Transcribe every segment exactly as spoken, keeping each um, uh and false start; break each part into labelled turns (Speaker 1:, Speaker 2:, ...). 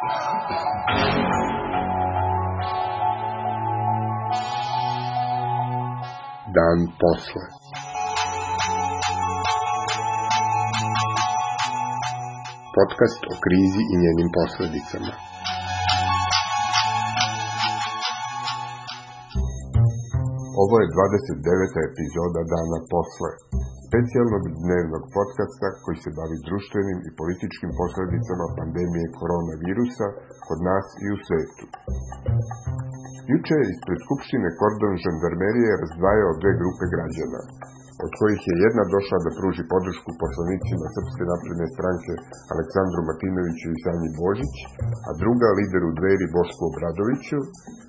Speaker 1: Dan posle. Podcast o krizi i njenim posledicama. Ovo je dvadeset deveta epizoda Dana posle, specijalnog dnevnog podcasta koji se bavi društvenim i političkim posledicama pandemije koronavirusa kod nas i u svetu. Juče je ispred Skupštine kordon žandarmerije razdvajao dve grupe građana, od kojih je jedna došla da pruži podršku poslanicima Srpske napredne stranke Aleksandru Martinoviću i Sanji Božić, a druga lideru Dveri Bošku Obradoviću,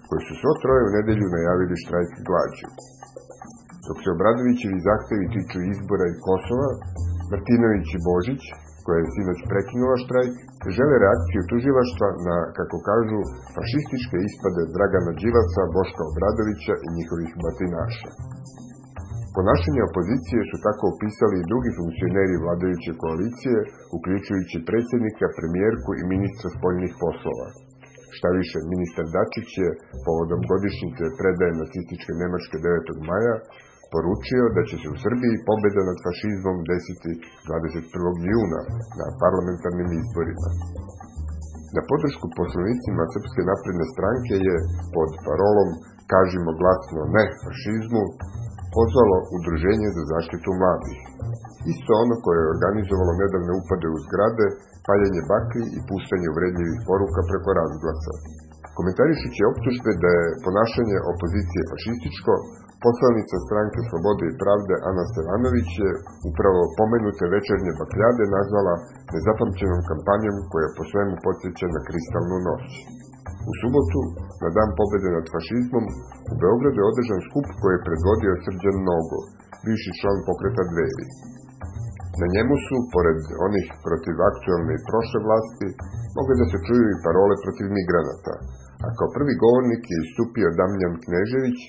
Speaker 1: koji su svo troje u nedelju najavili štrajk glađu. Dok se Obradovićevi zahtevi tiču izbora i Kosova, Martinović i Božić, koja je sinoć prekinula štrajk, žele reakciju tužilaštva na, kako kažu, fašističke ispade Dragana Đilasa, Boška Obradovića i njihovih batinaša. Ponašanje opozicije su tako opisali i drugi funkcioneri vladajuće koalicije, uključujući predsjednika, premijerku i ministra spoljnih poslova. Šta više, ministar Dačić je, povodom godišnjice predaje nacističke Nemačke devetog maja, poručio da će se u Srbiji pobjeda nad fašizmom desiti dvadeset prvog juna na parlamentarnim izborima. Na podršku poslanicima Srpske napredne stranke je pod parolom "Kažimo glasno ne fašizmu" pozvalo Udruženje za zaštitu mladih. Isto ono koje je organizovalo nedavne upade u zgrade, paljenje baklji i puštanje uvredljivih poruka preko razglasa. Komentarišući optužbe da je ponašanje opozicije fašističko, poslanica stranke Slobode i pravde Ana Stevanović je upravo pomenute večernje bakljade nazvala nezapamćenom kampanjom koja po svemu podsjeća na kristalnu noć. U subotu, na dan pobjede nad fašizmom, u Beogradu je održan skup koji je predvodio Srđan Nogo, bivši član pokreta Dveri. Na njemu su, pored onih protiv aktualne i prošle vlasti, mogle da se čuju i parole protiv migranata, a kao prvi govornik je istupio Damljan Knežević,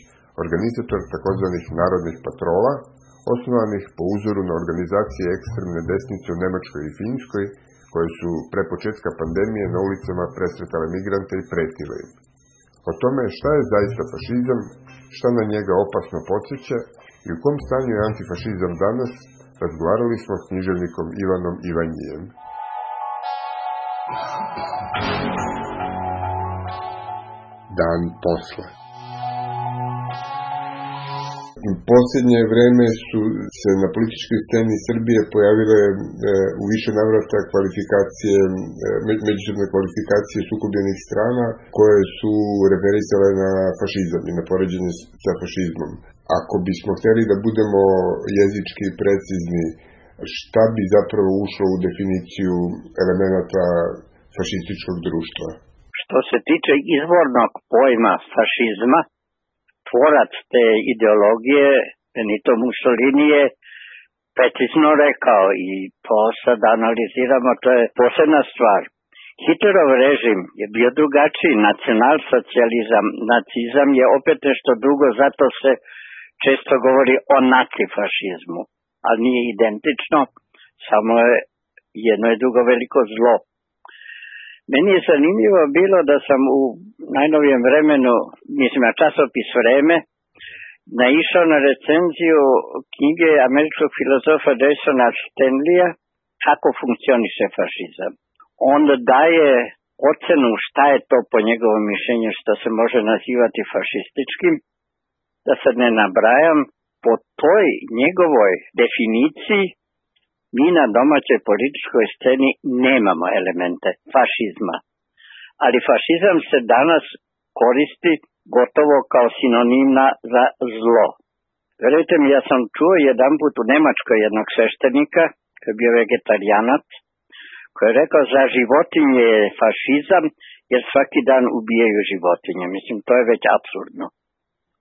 Speaker 1: organizator takozvanih narodnih patrola, osnovanih po uzoru na organizacije ekstremne desnice u Nemačkoj i Finskoj, koje su pre početka pandemije na ulicama presretale migrante i pretile im. O tome šta je zaista fašizam, šta na njega opasno podsjeća i u kom stanju je antifašizam danas, razgovarali smo s književnikom Ivanom Ivanjijem. Dan posle. U posljednje vreme su se na političkoj sceni Srbije pojavile e, u više navrata kvalifikacije, e, međusobne kvalifikacije sukobljenih strana koje su referisale na fašizam i na poređenje sa fašizmom. Ako bismo htjeli da budemo jezički precizni, šta bi zapravo ušlo u definiciju elemenata fašističkog društva?
Speaker 2: Što se tiče izvornog pojma fašizma, tvorac te ideologije, Benito Mussolini, je precizno rekao i to sad analiziramo, to je posebna stvar. Hitlerov režim je bio drugačiji, nacionalsocijalizam, nacizam je opet nešto drugo, zato se često govori o nacifašizmu, ali nije identično, samo je jedno i drugo veliko zlo. Meni je zanimljivo bilo da sam u najnovijem vremenu, mislim na časopis Vreme, naišao na recenziju knjige američkog filozofa Jasona Stanleya Kako funkcioniše fašizam. On daje ocenu šta je to po njegovom mišljenju što se može nazivati fašističkim, da sad ne nabrajam. Po toj njegovoj definiciji mi na domaćoj političkoj sceni nemamo elemente fašizma. Ali fašizam se danas koristi gotovo kao sinonimna za zlo. Verujte mi, ja sam čuo jedan put u Nemačkoj jednog sveštenika, koji je bio vegetarijanac, koji je rekao za životinje je fašizam jer svaki dan ubijaju životinje. Mislim, to je već apsurdno.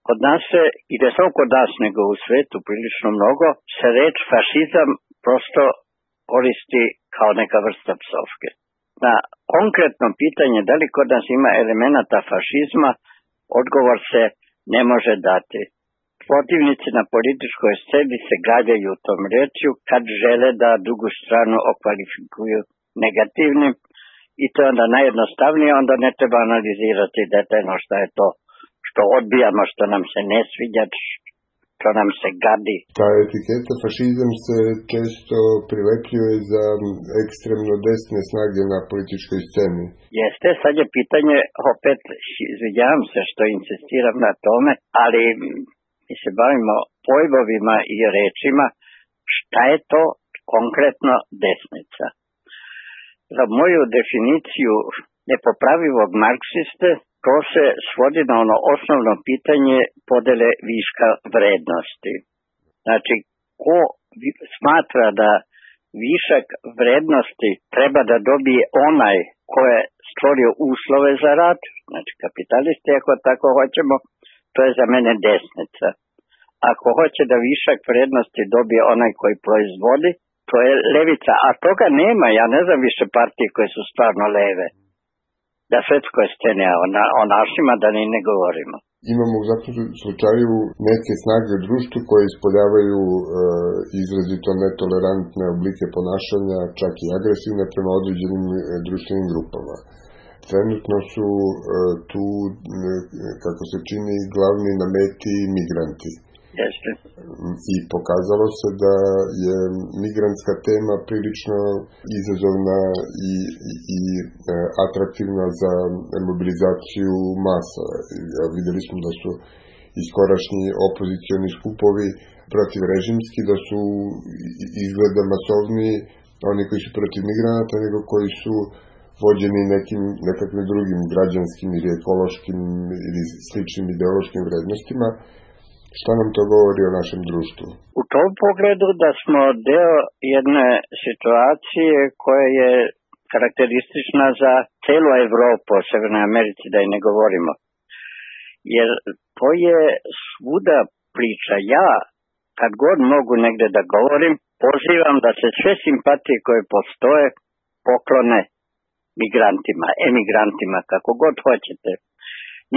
Speaker 2: Kod nas se, i ne samo kod nas nego u svetu prilično mnogo, se reč fašizam prosto koristi kao neka vrsta psovke. Na konkretno pitanje da li kod nas ima elemenata fašizma, odgovor se ne može dati. Protivnici na političkoj sceni se gađaju tom rečju kad žele da drugu stranu okvalifikuju negativnim i to je onda najjednostavnije, onda ne treba analizirati detaljno šta je to što odbijamo, što nam se ne sviđa, što nam se gadi.
Speaker 1: Ta etiketa fašizam se često prilepljuje za ekstremno desne snage na političkoj sceni.
Speaker 2: Jeste, sad je pitanje, opet izvidjavam se što insistiram na tome, ali mi se bavimo pojmovima i rečima, šta je to konkretno desnica. Za moju definiciju nepopravivog marksiste, to se svodi na ono osnovno pitanje podele viška vrednosti. Znači, ko smatra da višak vrednosti treba da dobije onaj ko je stvorio uslove za rad, znači kapitalisti ako tako hoćemo, to je za mene desnica. Ako hoće da višak vrednosti dobije onaj koji proizvodi, to je levica. A toga nema, ja ne znam više partije koje su stvarno leve. Da svetskoj sceni, a o našima da ni ne govorimo.
Speaker 1: Imamo u svakom slučaju neke snage u društvu koje ispoljavaju e, izrazito netolerantne oblike ponašanja, čak i agresivne prema određenim e, društvenim grupama. Trenutno su e, tu, e, kako se čini, glavni na meti migranti.
Speaker 2: Jeste.
Speaker 1: I pokazalo se da je migrantska tema prilično izazovna i, i, i atraktivna za mobilizaciju masa. Ja, videli smo da su iskorašnji opozicioni skupovi protivrežimski, da su izgleda masovniji oni koji su protiv migranata nego koji su vođeni nekim nekakvim drugim građanskim ili ekološkim ili sličnim ideološkim vrednostima. Šta nam to govori o našem društvu?
Speaker 2: U tom pogledu da smo deo jedne situacije koja je karakteristična za celu Evropu, o Severnoj Americi da i ne govorimo. Jer to je svuda priča. Ja, kad god mogu negde da govorim, pozivam da se sve simpatije koje postoje poklone migrantima, emigrantima, kako god hoćete.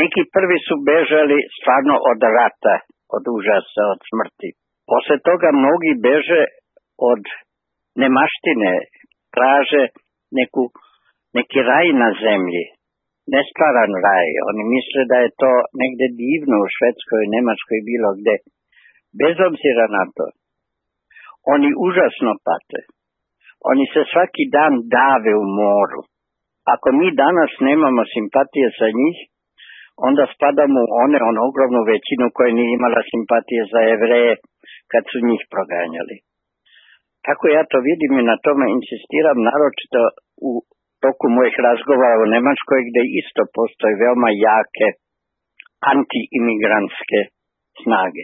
Speaker 2: Neki prvi su bežali stvarno od rata, od užasa, od smrti. Posle toga mnogi beže od nemaštine, traže neku, neki raj na zemlji, nestvaran raj. Oni misle da je to negde divno u Švedskoj, Nemačkoj, bilo gde. Bez obzira na to, oni užasno pate. Oni se svaki dan dave u moru. Ako mi danas nemamo simpatije sa njih, onda spadamo u one, ono ogromnu većinu koja nije imala simpatije za Jevreje kad su njih proganjali. Tako ja to vidim i na tome insistiram, naročito u toku mojih razgovora u Nemačkoj, gde isto postoje veoma jake anti-imigrantske snage.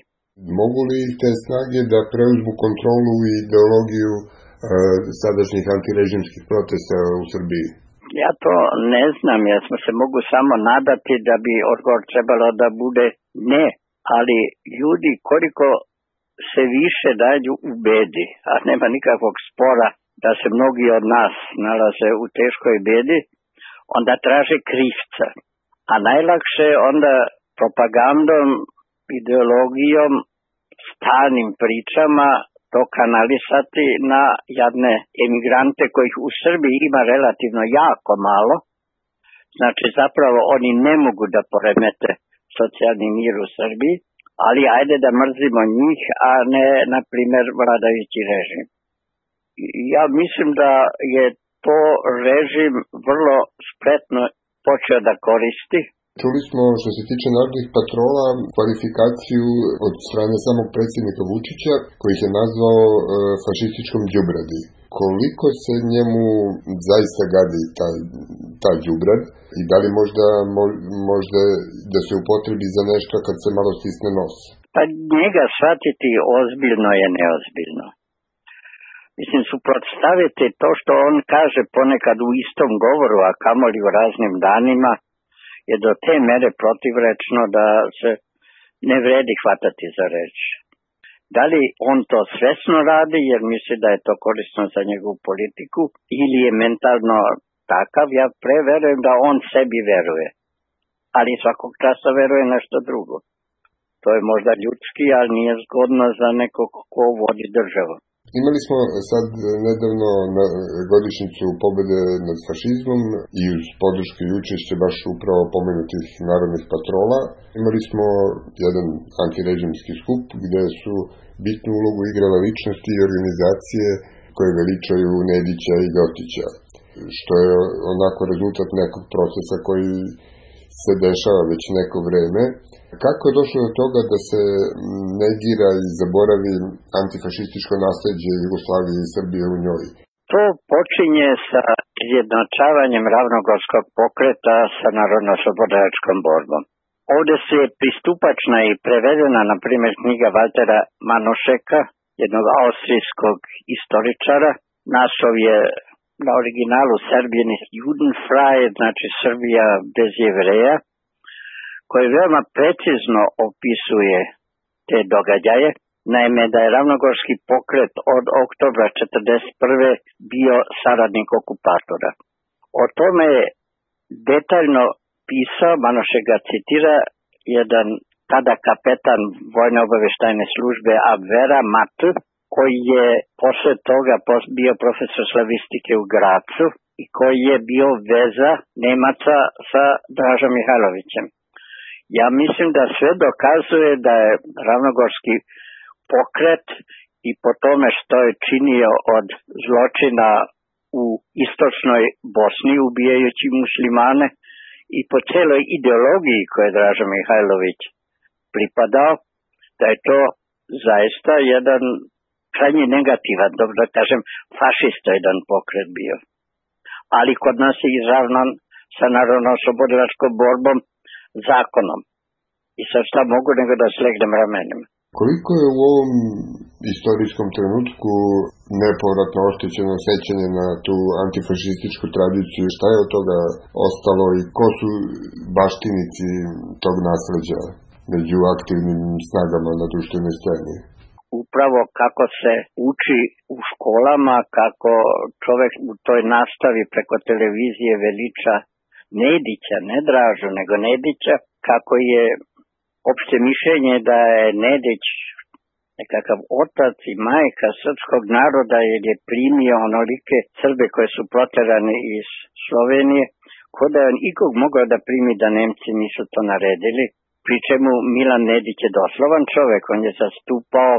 Speaker 1: Mogu li te snage da preuzmu kontrolu i ideologiju e, sadašnjih antirežimskih protesta u Srbiji?
Speaker 2: Ja to ne znam, ja smo se mogu samo nadati da bi odgovor trebalo da bude ne, ali ljudi koliko se više dađu u bedi, a nema nikakvog spora da se mnogi od nas nalaze u teškoj bedi, onda traže krivca. A najlakše onda propagandom, ideologijom, stalnim pričama to kanalisati na jadne emigrante kojih u Srbiji ima relativno jako malo. Znači zapravo oni ne mogu da poremete socijalni mir u Srbiji, ali ajde da mrzimo njih, a ne, na primjer, vladajući režim. Ja mislim da je to režim vrlo spretno počeo da koristi.
Speaker 1: Čuli smo, što se tiče narodnih patrola, kvalifikaciju od strane samog predsjednika Vučića, koji je nazvao e, fašističkom đubradi. Koliko se njemu zaista gadi ta, ta đubrad i da li možda, mo, možda da se upotrebi za nešto kad se malo stisne nos?
Speaker 2: Pa njega shvatiti ozbiljno je neozbiljno. Mislim, suprotstaviti to što on kaže ponekad u istom govoru, a kamoli u raznim danima, je do te mere protivrečno da se ne vredi hvatati za reč. Da li on to svesno radi jer misli da je to korisno za njegovu politiku ili je mentalno takav, ja preverujem da on sebi veruje. Ali svakog časa veruje nešto drugo. To je možda ljudski, ali nije zgodno za nekog ko vodi državu.
Speaker 1: Imali smo sad nedavno na godišnjicu pobede nad fašizmom i uz podršku i učešće baš upravo pomenutih narodnih patrola. Imali smo jedan antirežimski skup gde su bitnu ulogu igrala ličnosti i organizacije koje veličaju Nedića i Ljotića, što je onako rezultat nekog procesa koji se dešava već neko vreme. Kako je došlo do toga da se negira i zaboravi antifašističko nasleđe Jugoslavije i Srbije u njoj?
Speaker 2: To počinje sa izjednačavanjem ravnogorskog pokreta sa narodno-oslobodilačkom borbom. Ovde se je pristupačna i prevedena, na primjer, knjiga Valtera Manušeka, jednog austrijskog istoričara. Naslov je na originalu Serbian ist Judenfrei, znači Srbija bez Jevreja, koji veoma precizno opisuje te događaje. Naime, da je ravnogorski pokret od oktobra četrdeset prve bio saradnik okupatora. O tome je detaljno pisao, Manušek ga citira, jedan tada kapetan vojne obaveštajne službe Abvera Matl, koji je posle toga bio profesor slavistike u Gracu i koji je bio veza Nemaca sa Dražom Mihajlovićem. Ja mislim da sve dokazuje da je ravnogorski pokret i po tome što je činio od zločina u istočnoj Bosni ubijajući muslimane i po celoj ideologiji koje je Draža Mihajlović pripadao, da je to zaista jedan krajnje negativan, dobro da kažem, fašista jedan pokret bio. Ali kod nas je izravnan sa narodno-oslobodilačkom borbom zakonom. I sad šta mogu nego da slegnem ramenima.
Speaker 1: Koliko je u ovom istorijskom trenutku nepovratno oštećeno sećanje na tu antifašističku tradiciju? Šta je od toga ostalo i ko su baštinici tog nasleđa među aktivnim snagama na društvenoj sceni?
Speaker 2: Upravo kako se uči u školama, kako čovek u toj nastavi preko televizije veliča Nedića, ne Dražu, nego Nedića, kako je opšte mišljenje da je Nedić nekakav otac i majka srpskog naroda jer je primio onolike Srbe koje su proterani iz Slovenije, ko da je on ikog mogao da primi da Nemci nisu to naredili, pri čemu Milan Nedić je doslovan čovek, on je zastupao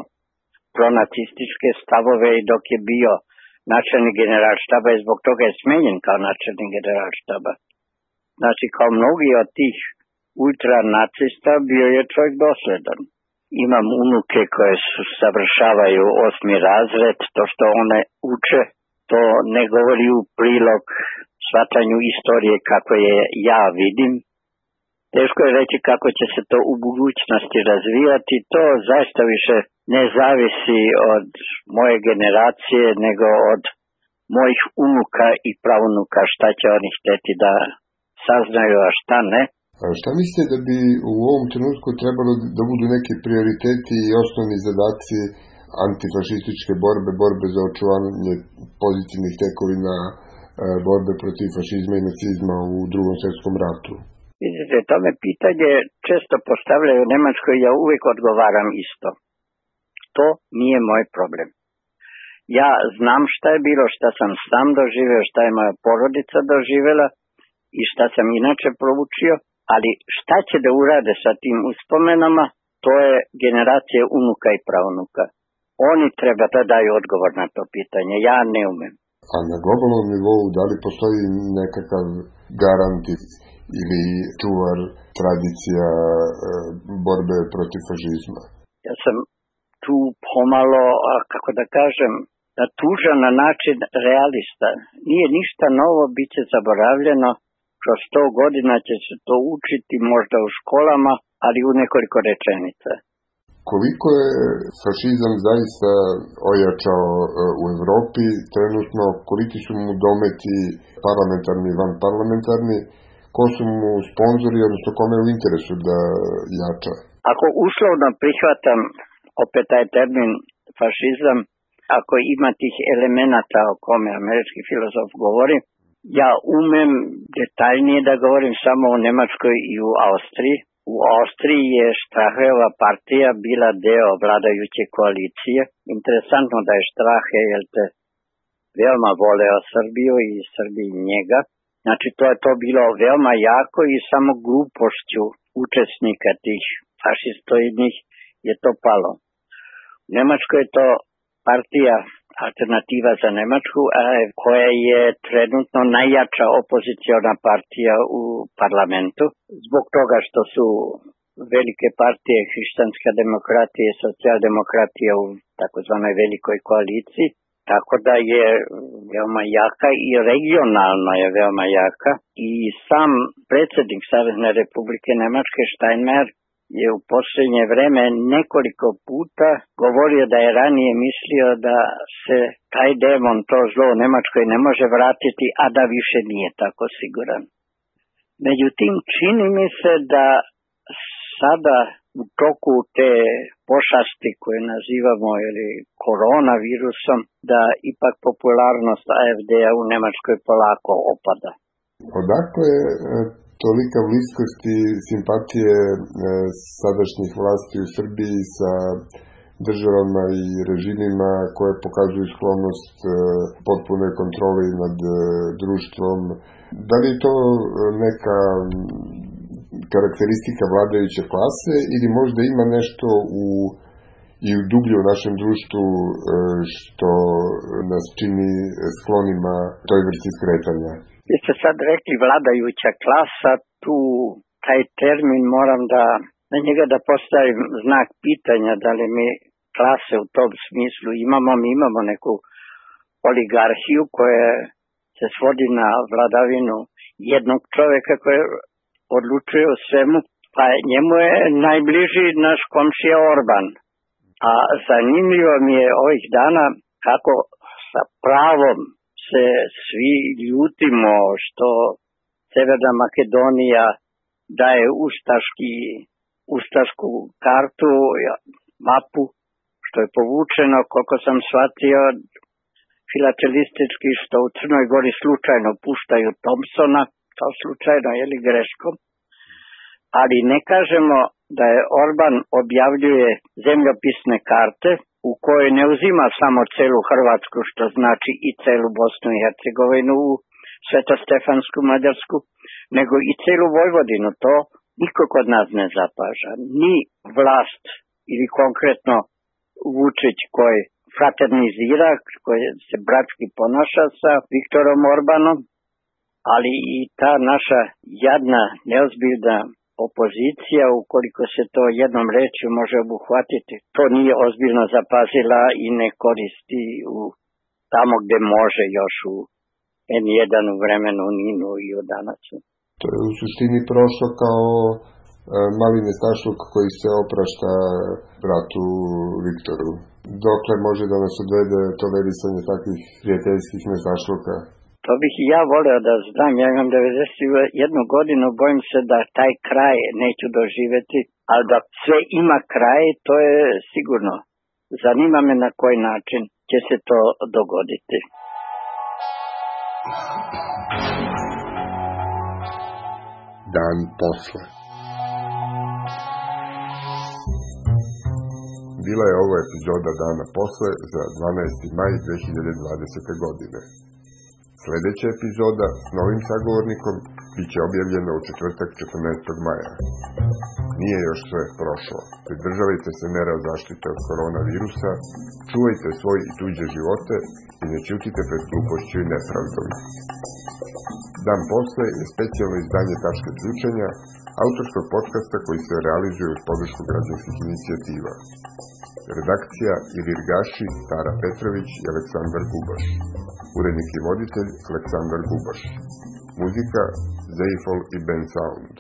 Speaker 2: pronacističke stavove i dok je bio načelnik generalštaba i zbog toga je smenjen kao načelnik generalštaba. Znači, kao mnogi od tih ultranacista bio je čovjek dosledan. Imam unuke koje su savršavaju osmi razred, to što one uče, to ne govori u prilog shvatanju istorije kako je ja vidim. Teško je reći kako će se to u budućnosti razvijati, to zaista više ne zavisi od moje generacije, nego od mojih unuka i pravunuka, šta će oni hteti da saznaju, a šta ne.
Speaker 1: A šta mislite da bi u ovom trenutku trebalo da budu neki prioriteti i osnovni zadaci antifašističke borbe, borbe za očuvanje pozitivnih tekovina, borbe protiv fašizma i nacizma u Drugom svjetskom ratu?
Speaker 2: Vidite, to me pitanje često postavljaju u Nemačkoj, ja uvijek odgovaram isto. To nije moj problem. Ja znam šta je bilo, šta sam sam doživeo, šta je moja porodica doživela i šta sam inače proučio, ali šta će da urade sa tim uspomenama, to je generacija unuka i pravunuka. Oni treba da daju odgovor na to pitanje, ja ne umem.
Speaker 1: A na globalnom nivou, da li postoji nekakav garant ili čuvar tradicija borbe protiv fašizma?
Speaker 2: Ja sam tu pomalo, kako da kažem, tužan na način realista. Nije ništa novo, bit će zaboravljeno. Kroz sto godina će se to učiti možda u školama, ali u nekoliko rečenica.
Speaker 1: Koliko je fašizam zaista ojačao u Evropi trenutno, koliki su mu dometi parlamentarni i vanparlamentarni, ko su mu sponzori, odnosno kome je u interesu da jača?
Speaker 2: Ako uslovno prihvatam opet taj termin fašizam, ako ima tih elemenata o kome američki filozof govori, ja umem detaljnije da govorim samo o Nemačkoj i u Austriji, U Austriji je Strahojeva partija bila deo vladajuće koalicije. Interesantno da je Strahe, jer te veoma voleo Srbiju i Srbiji njega. Znači, to je to bilo veoma jako i samo glupošću učesnika tih fašistoidnih je to palo. U Nemačkoj je to partija Alternativa za Nemačku, koja je trenutno najjača opoziciona partija u parlamentu, zbog toga što su velike partije, hrišćanska demokratija i socijaldemokratija u takozvanoj velikoj koaliciji, tako da je veoma jaka i regionalno je veoma jaka. I sam predsjednik Savezne Republike Nemačke Steinmeier je u posljednje vreme nekoliko puta govorio da je ranije mislio da se taj demon, to zlo u Nemačkoj ne može vratiti, a da više nije tako siguran. Međutim, čini mi se da sada u toku te pošasti koje nazivamo ili koronavirusom, da ipak popularnost A F D-a u Nemačkoj polako opada.
Speaker 1: Odakle je tolika bliskost i simpatije sadašnjih vlasti u Srbiji sa državama i režimima koje pokazuju sklonost potpunoj kontroli nad društvom? Da li je to neka karakteristika vladajuće klase ili možda ima nešto u, i u dublju u našem društvu što nas čini sklonima toj vrsti skretanja?
Speaker 2: Vi ste sad rekli vladajuća klasa, tu taj termin moram da, na njega da postavim znak pitanja, da li mi klase u tom smislu imamo. Mi imamo neku oligarhiju koja se svodi na vladavinu jednog čovjeka koji odlučuje o svemu, pa njemu je najbliži naš komšija Orban. A zanimljivo mi je ovih dana kako sa pravom se svi ljutimo što Severna Makedonija daje ustaški, ustašku kartu, mapu, što je povučeno, koliko sam shvatio, filatelistički, što u Crnoj Gori slučajno puštaju Thompsona, to slučajno, jeli greškom, ali ne kažemo da je Orban objavljuje zemljopisne karte u kojoj ne uzima samo celu Hrvatsku, što znači i celu Bosnu i Hercegovinu, Svetostefansku Mađarsku, nego i celu Vojvodinu. To niko kod nas ne zapaža. Ni vlast ili konkretno Vučić koji fraternizira, koji se bratski ponaša sa Viktorom Orbanom, ali i ta naša jadna, neozbiljna opozicija, ukoliko se to jednom rečju može obuhvatiti, to nije ozbiljno zapazila i ne koristi u, tamo gde može, još u en jedan u vremenu Ninu i u danacu.
Speaker 1: To je u suštini prošlo kao e, mali nestašluk koji se oprašta bratu Viktoru. Dokle može da nas odvede tolerisanje takvih prijateljskih nestašluka?
Speaker 2: To bih i ja voleo da znam. Ja imam devedeset jednu godinu, bojim se da taj kraj neću doživjeti, ali da sve ima kraj, to je sigurno. Zanima me na koji način će se to dogoditi.
Speaker 1: Dan posle. Bila je ovo epizoda Dana posle za dvanaesti maj dve hiljade dvadesete. godine. Sljedeća epizoda s novim sagovornikom bit će objavljena u četvrtak četrnaestog maja. Nije još sve prošlo. Pridržavajte se mera zaštite od koronavirusa, čuvajte svoj i tuđe živote i ne ćutite pred glupošću i nepravdom. Dan posle je specijalno izdanje Tačke ključenja, autorskog podcasta koji se realizuje uz podršku građanskih inicijativa. Redakcija Ilir Gaši, Tara Petrović i Aleksandar Gubaš. Urednik i voditelj Aleksandar Gubaš. Muzika Zeifol i Ben Sound.